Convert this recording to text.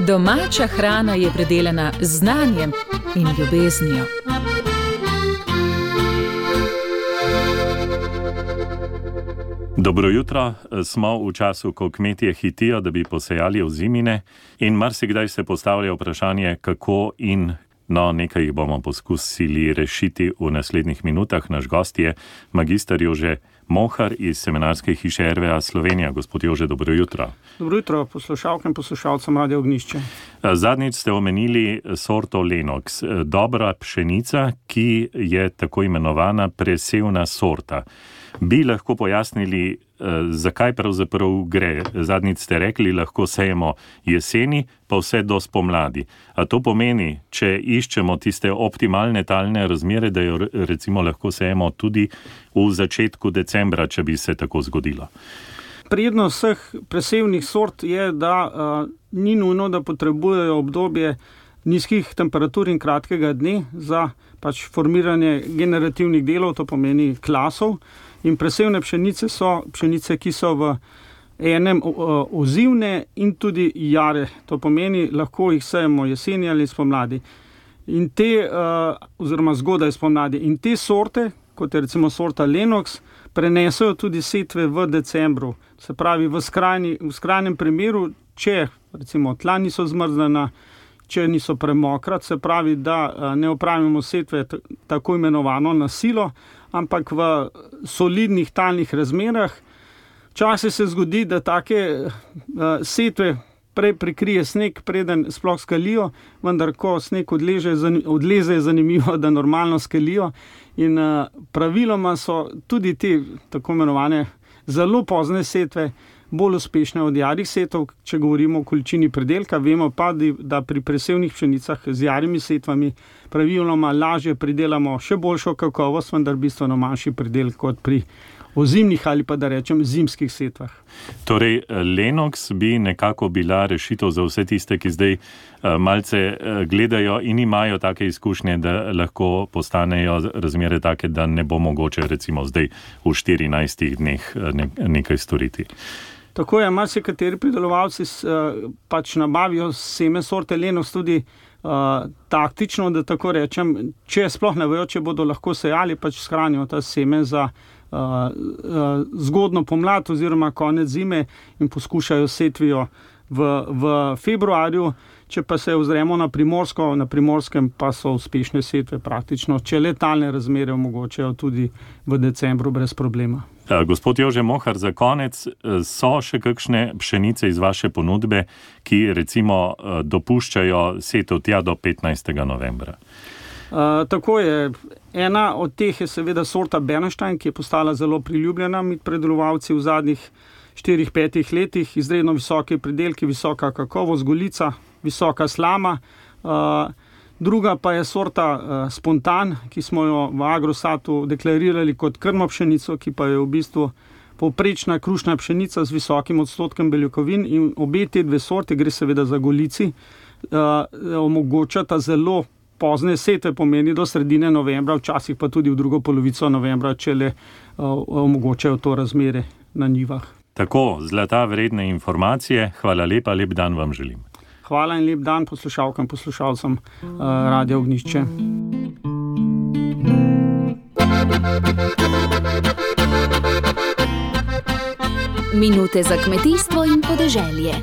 Domača hrana je predelana z znanjem in ljubeznijo. Dobro jutro, smo v času, ko kmetje hitijo, da bi posejali ozimine, in marsikdaj se postavlja vprašanje, kako in nekaj jih bomo poskusili rešiti v naslednjih minutah. Naš gost je magister Jože Mohar iz Semenarske hiše RVA Slovenija. Gospod Jože, dobro jutro. Dobro jutro, poslušalkam in poslušalcem Radia Ognjišče. Zadnjič ste omenili sorto Lenox, dobra pšenica, ki je tako imenovana presevna sorta. Bi lahko pojasnili, zakaj pravzaprav gre? Zadnjič ste rekli, lahko sejemo jeseni, pa vse do spomladi. A to pomeni, če iščemo tiste optimalne talne razmere, da jo recimo lahko sejemo tudi v začetku decembra, če bi se tako zgodilo? Prednost vseh presevnih sort je, da ni nujno, da potrebujejo obdobje nizkih temperatur in kratkega dne za formiranje generativnih delov, to pomeni klasov. In presevne pšenice so pšenice, ki so v enem ozimne in tudi jare. To pomeni, lahko jih sejemo jeseni ali spomladi. In oziroma zgodaj spomladi. In te sorte, kot je recimo sorta Lenox, prenesejo tudi setve v decembru. Se pravi, v skrajnem primeru, če recimo tla niso zmrznjena, če niso premokra, se pravi, da ne opravimo setve tako imenovano na silo, ampak v solidnih talnih razmerah. Včasih se zgodi, da take setve prej prikrije sneg, preden sploh skalijo, vendar ko sneg odleze, je zanimivo, da normalno skalijo. In praviloma so tudi te tako imenovane zelo pozne setve bolj uspešne od jarih setov, če govorimo o količini pridelka. Vemo pa, da pri presevnih pšenicah z jarimi setvami praviloma lažje pridelamo še boljšo kakovost, vendar bistveno manjši pridelek kot pri ozimnih ali pa da rečem zimskih setvah. Torej, Lenox bi nekako bila rešitev za vse tiste, ki zdaj malce gledajo in imajo take izkušnje, da lahko postanejo razmere take, da ne bo mogoče recimo zdaj v 14 dneh nekaj storiti. Tako je, marsikateri pridelovalci nabavijo seme sorte Lenox tudi taktično, da tako rečem, če sploh ne vejo, če bodo lahko sejali, shranijo ta seme za zgodno pomlad oziroma konec zime in poskušajo setvijo v februarju. Če pa se ozremo na Primorsko, na Primorskem pa so uspešne setve praktično, če le talne razmere omogočajo tudi v decembru brez problema. Gospod Jože Mohar, za konec, so še kakšne pšenice iz vaše ponudbe, ki recimo dopuščajo setev tja do 15. novembra? Tako je. Ena od teh je seveda sorta Bernstein, ki je postala zelo priljubljena med predelovalci v zadnjih 4-5 letih. Izredno visoke pridelki, visoka kakovost, golica, visoka slama. Druga pa je sorta Spontan, ki smo jo v Agrosatu deklarirali kot krmno pšenico, ki pa je v bistvu povprečna krušna pšenica z visokim odstotkom beljakovin. In obe te dve sorte, gre seveda za golici, omogočata zelo pozne setve, pomeni do sredine novembra, včasih pa tudi v drugo polovico novembra, če le omogočajo to razmere na njivah. Tako, zlata vredne informacije. Hvala lepa, lep dan vam želim. Hvala in lep dan poslušalkam, poslušalcem Radia Ognjišče. Minute za kmetijstvo in podeželje.